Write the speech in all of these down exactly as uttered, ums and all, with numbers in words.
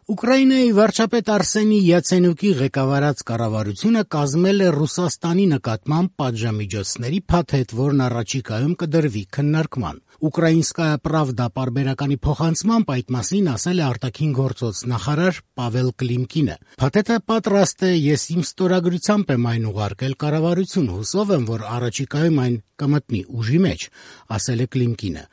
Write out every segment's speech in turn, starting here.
Ուկրաինայի վարչապետ Արսենի Յացենյուկի ղեկավարած կառավարությունը կազմել է Ռուսաստանի նկատմամբ պատժամիջոցների փաթեթ, որն առաջիկայում կդրվի քննարկման։ «Ուկրաինսկայա պրավդա» պարբերականի փոխանցմամբ այդ մասին ասել է արտաքին գործոց նախարար Պավել Կլիմկինը։ «Փաթեթը պատրաստ է, ես իմ ստորագրությամբ եմ այն ուղարկել կառավարություն, հուսով եմ, որ առաջիկայում այն կմտնի ուժի մեջ», ասել է Կլիմկինը։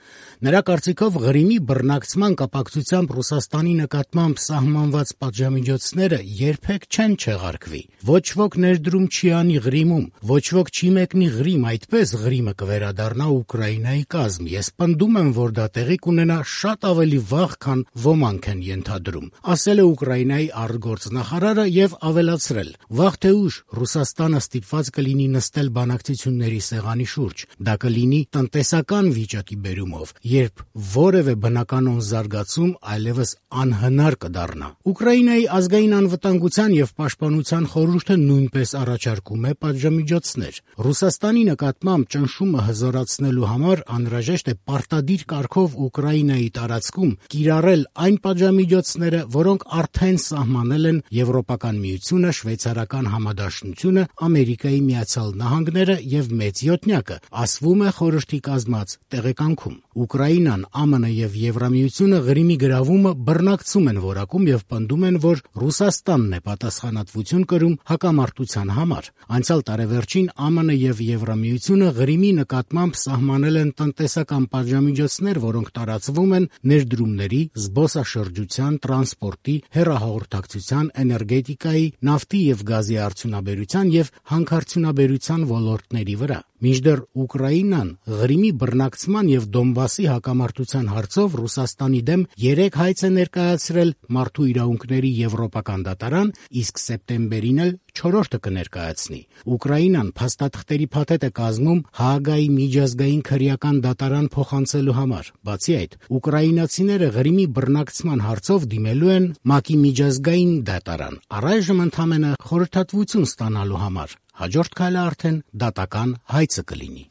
Նրա կարծիքով Ղրիմի բռնակցման կապակցությամբ Ռուսաստանի նկատմամբ սահմանված պատժամիջոցները երբեք չեն չեղարկվի։ Ոչ ոք ներդրում չի անի Ղրիմում, ոչ ոք չի մեկնի Ղրիմ, այդպես Ղրիմը կվերադառնա Ուկրաինայի կազմ։ Ես պնդում եմ, որ դա տեղի կունենա շատ ավելի վաղ, քան ոմանք են ենթադրում, ասել է Ուկրաինայի արտգործնախարարը եւ ավելացրել. «Վաղ թե ուշ Ռուսաստանը ստիպված կլինի նստել բանակցությունների սեղանի շուրջ։ Դա կլինի տնտեսական վիճակի բերումով, երբ որևէ բնականոն զարգացում այլևս անհնար կդառնա»։ Ուկրաինայի ազգային անվտանգության եւ պաշտպանության խորհուրդը նույնպես առաջարկում է պատժամիջոցներ։ Ռուսաստանի նկատմամբ ճնշումը հզորացնելու համար անհրաժեշտ է պարտադիր կարգով Ուկրաինայի տարածքում կիրառել այն պատժամիջոցները, որոնք արդեն սահմանել են Եվրոպական միությունը, Շվեյցարական համադաշնությունը, Ամերիկայի Միացյալ Նահանգները եւ Մեծ Յոթնյակը, ասվում է խորհրդի կազմած տեղեկանքում։ Ուկրաինան, ԱՄՆ եւ Եվրամիությունը Ղրիմի գրավումը բռնակցում են որակում եւ պնդում են, որ Ռուսաստանն է պատասխանատվություն կրում հակամարտության համար։ Անցյալ տարեվերջին ԱՄՆ եւ Եվրամիությունը Ղրիմի նկատմամբ սահմանել են տնտեսական պատժամիջոցներ, որոնք տարածվում են ներդրումների, զբոսաշրջության, տրանսպորտի, հեռահաղորդակցության, էներգետիկայի, նավթի եւ գազի արդյունաբերության եւ հանքարդյունաբերության ոլորտների վրա։ Մինչդեռ Ուկրաինան Ղրիմի բռնակցման եւ Դոնբասի հակամարտության հարցով Ռուսաստանի դեմ երեք հայց է ներկայացրել Մարդու իրավունքների եվրոպական դատարան, իսկ սեպտեմբերին էլ չորրորդը կներկայացնի։ Ուկրաինան փաստաթղթերի փաթեթ է կազմում Հաագայի միջազգային քրեական դատարան փոխանցելու համար։ Բացի այդ, ուկրաինացիները Ղրիմի բռնակցման հարցով դիմելու են ՄԱԿ-ի միջազգային դատարան, առայժմ ընդամենը խորհրդատվություն ստանալու համար։ Հաջորդ քայլը արդեն դատական հայցը կլինի։